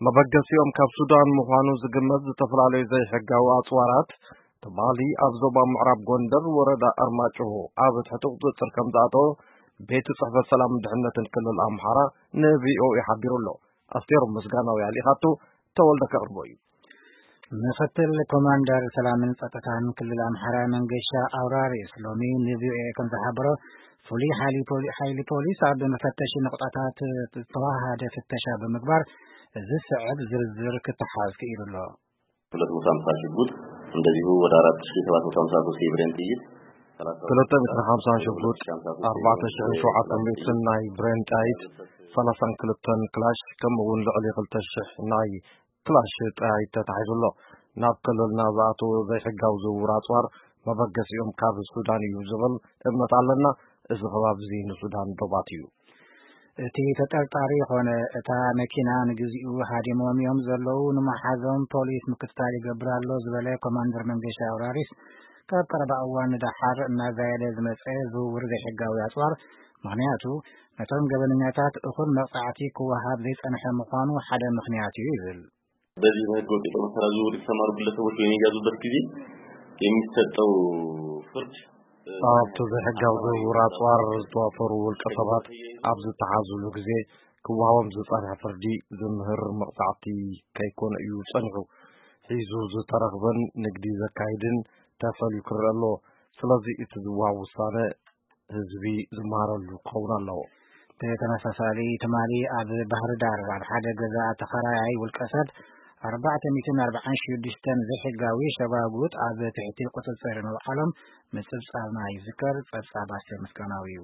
መበገሲኦም ካብ ሱዳን ምዃኑ ዝግመት ዝተፈላለዩ ዘይሕጋዊ ኣጽዋራት ትማሊ ኣብ ዞባ ምዕራብ ጎንደር ወረዳ ኣርማጭሆ ኣብ ትሕቲ ቁጽጽር ከም ዝኣተወ ቤት ጽሕፈት ሰላምን ድሕነትን ክልል ኣምሓራ ን ቪ ኦ ኤ ሓቢሩ ኣሎ። ኣስቴር ምስጋናው ያሊኻቶ ተወልደ ከቕርቦ እዩ። ምክትል ኮማንደር ሰላምን ጸጥታን ክልል ኣምሓራ መንገሻ ኣውራሪስ ሎሚ ን ቪ ኦ ኤ ከም ዝሓበሮ፣ ፍሉይ ሓይሊ ፖሊ-፣ ሓይሊ ፖሊስ ኣብ መፈተሺ ነቑጣታት ዝተዋሃደ ፍተሻ ብምግባር እዚ ዝስዕብ ዝርዝር ክተሓዝ ክኢሉ ኣሎ። ሁለት መቶ ሃምሳ ሽጉጥ፣ እንደዚሁ ወደ አራት ሺህ ሰባት መቶ ሃምሳ ሶስት የብሬን ጥይት፣ ክልተ ሚእትን ሓምሳን ሽጉጥ፣ ኣርባዕተ ሽሕን ሸውዓተ ሚእትን ናይ ብሬን ጥይት፣ ሰላሳን ክልተን ክላሽ፣ ከምኡ እውን ልዕሊ ክልተ ሽሕ ናይ ክላሽ ጥይት ተታሒዙ ኣሎ። ናብ ክልልና ዝኣተወ ዘይሕጋዊ ዝውውር ኣጽዋር መበገሲኦም ካብ ሱዳን እዩ ዝብል እምነት ኣለና። እዚ ከባቢ እዚ ንሱዳን ዶባት እዩ። እቲ ተጠርጣሪ ይኾነ እታ መኪና ንግዚኡ ሃዲሞም እዮም ዘለዉ፣ ንመሓዞም ፖሊስ ምክትታል ይገብር ኣሎ ዝበለ ኮማንደር መንገሻ ኣውራሪስ፣ ካብ ቀረባ እዋን ንደሓር እናዛየደ ዝመጸ ዝውውር ዘይሕጋዊ ኣጽዋር ምኽንያቱ ነቶም ገበነኛታት እኹል መቕጻዕቲ ክወሃብ ዘይጸንሐ ምዃኑ ሓደ ምኽንያት እዩ ይብል። በዚህ በህገ ወጥ የጦር መሳሪያ ዝውውር የተሰማሩ ግለሰቦች በሚያዙበት ጊዜ የሚሰጠው ፍርድ ኣብቲ ዘይሕጋዊ ዝውውር ኣጽዋር ዝተዋፈሩ ውልቀ ሰባት ኣብ ዝተሓዙሉ ግዜ ክወሃቦም ዝጸንሐ ፍርዲ ዝምህር መቕጻዕቲ ከይኮነ እዩ ጸኒሑ። ሒዙ ዝተረኽበን ንግዲ ዘካይድን ተፈልዩ ክረአ ኣለዎ። ስለዚ እቲ ዝወሃብ ውሳነ ህዝቢ ዝመሃረሉ ክኸውን ኣለዎ። ብተመሳሳሊ ትማሊ ኣብ ባህር ዳር ኣብ ሓደ ገዛ ተኸራያይ ውልቀ ሰብ ኣርባዕተ ሚእትን ኣርባዓን ሽዱሽተን ዘይሕጋዊ ሸባጉጥ ኣብ ትሕቲ ቁፅፅር ምውዓሎም ምፅብፃብና ይዝከር። ፀብፃብ ኣስቴር ምስጋናው እዩ።